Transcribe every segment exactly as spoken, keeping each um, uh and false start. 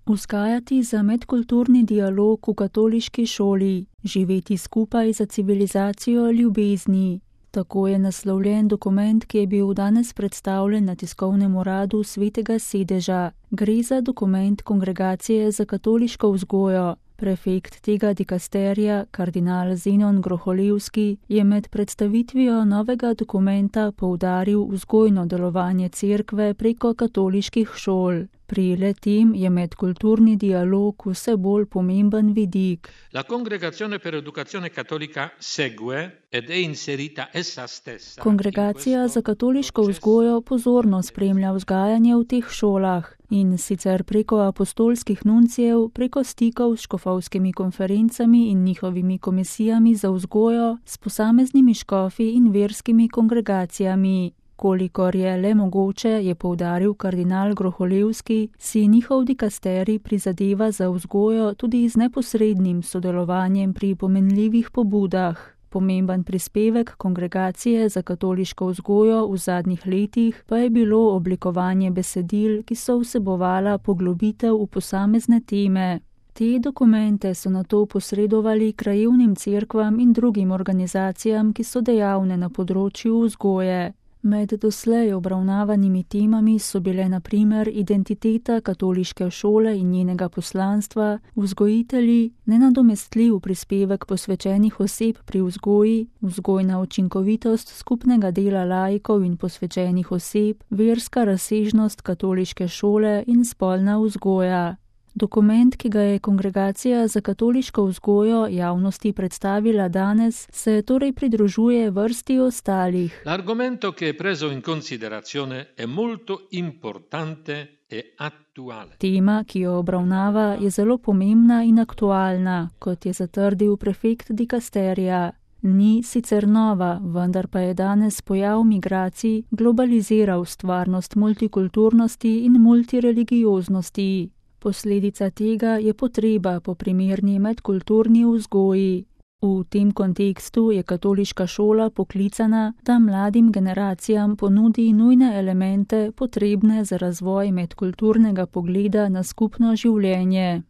Vzgajati za medkulturni dialog v katoliški šoli, živeti skupaj za civilizacijo ljubezni. Tako je naslovljen dokument, ki je bil danes predstavljen na tiskovnem uradu Svetega sedeža. Gre za dokument Kongregacije za katoliško vzgojo. Prefekt tega dikasterija, kardinal Zenon Groholevski, je med predstavitvijo novega dokumenta poudaril vzgojno delovanje cerkve preko katoliških šol. Pri le-tem je medkulturni dialog vse bolj pomemben vidik. La Congregazione per Educazione Cattolica segue ed è inserita essa stessa. Kongregacija za katoliško vzgojo pozorno spremlja vzgajanje v teh šolah in sicer preko apostolskih nuncijev, preko stikov s škofovskimi konferencami in njihovimi komisijami za vzgojo, s posameznimi škofi in verskimi kongregacijami. Kolikor je le mogoče, je poudaril kardinal Groholevski, si njihov dikasterij prizadeva za vzgojo tudi z neposrednim sodelovanjem pri pomenljivih pobudah. Pomemben prispevek Kongregacije za katoliško vzgojo v zadnjih letih pa je bilo oblikovanje besedil, ki so vsebovala poglobitev v posamezne teme. Te dokumente so nato posredovali krajevnim cerkvam in drugim organizacijam, ki so dejavne na področju vzgoje. Med doslej obravnavanimi temami so bile na primer identiteta katoliške šole in njenega poslanstva, vzgojitelji, nenadomestljiv prispevek posvečenih oseb pri vzgoji, vzgojna učinkovitost skupnega dela laikov in posvečenih oseb, verska razsežnost katoliške šole in spolna vzgoja. Dokument, ki ga je Kongregacija za katoliško vzgojo javnosti predstavila danes, se torej pridružuje vrsti ostalih. L'argomento che è preso in considerazione è molto importante e attuale. Tema, ki jo obravnava, je zelo pomembna in aktualna, kot je zatrdil prefekt dikasterija. Ni sicer nova, vendar pa je danes pojav migracij globaliziral stvarnost multikulturnosti in multireligioznosti. Posledica tega je potreba po primerni medkulturni vzgoji. V tem kontekstu je katoliška šola poklicana, da mladim generacijam ponudi nujne elemente potrebne za razvoj medkulturnega pogleda na skupno življenje.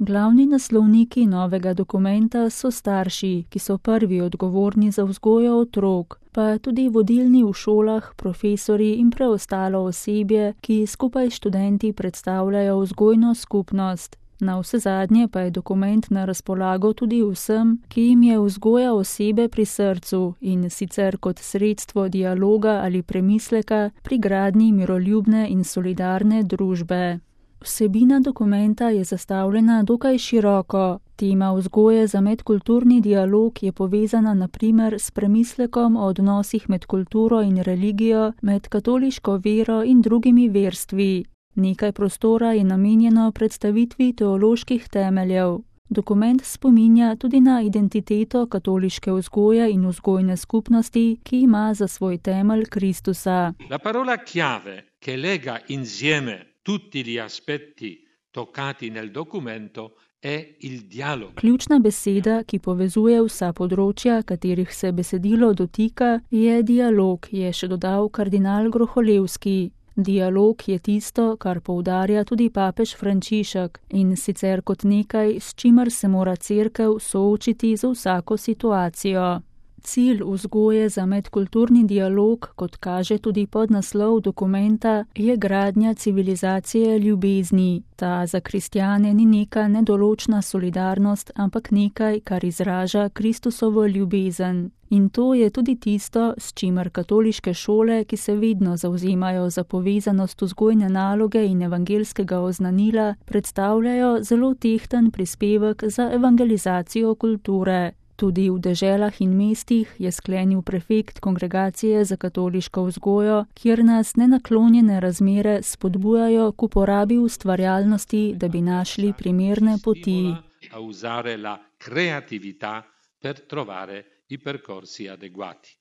Glavni naslovniki novega dokumenta so starši, ki so prvi odgovorni za vzgojo otrok, pa tudi vodilni v šolah, profesorji in preostalo osebje, ki skupaj s študenti predstavljajo vzgojno skupnost. Navsezadnje pa je dokument na razpolago tudi vsem, ki jim je vzgoja osebe pri srcu in sicer kot sredstvo dialoga ali premisleka pri gradnji miroljubne in solidarne družbe. Vsebina dokumenta je zastavljena dokaj široko. Tema vzgoje za medkulturni dialog je povezana na primer s premislekom o odnosih med kulturo in religijo, med katoliško vero in drugimi verstvi. Nekaj prostora je namenjeno predstavitvi teoloških temeljev. Dokument spominja tudi na identiteto katoliške vzgoje in vzgojne skupnosti, ki ima za svoj temelj Kristusa. La parola chiave che lega insieme tutti gli aspetti toccati nel documento è il dialogo. Ključna beseda, ki povezuje vsa področja, katerih se besedilo dotika, je dialog, je še dodal kardinal Groholevski. Dialog je tisto, kar poudarja tudi papež Frančišek, in sicer kot nekaj, s čimer se mora cerkev soočiti z vsako situacijo. Cilj vzgoje za medkulturni dialog, kot kaže tudi podnaslov dokumenta, je gradnja civilizacije ljubezni. Ta za kristjane ni neka nedoločna solidarnost, ampak nekaj, kar izraža Kristusovo ljubezen. In to je tudi tisto, s čimer katoliške šole, ki se vedno zavzemajo za povezanost vzgojne naloge in evangelskega oznanila, predstavljajo zelo tehten prispevek za evangelizacijo kulture. Tudi v deželah in mestih, je sklenil prefekt Kongregacije za katoliško vzgojo, kjer nas nenaklonjene razmere spodbujajo k uporabi ustvarjalnosti, da bi našli primerne poti. A usare la creatività per trovare i percorsi adeguati.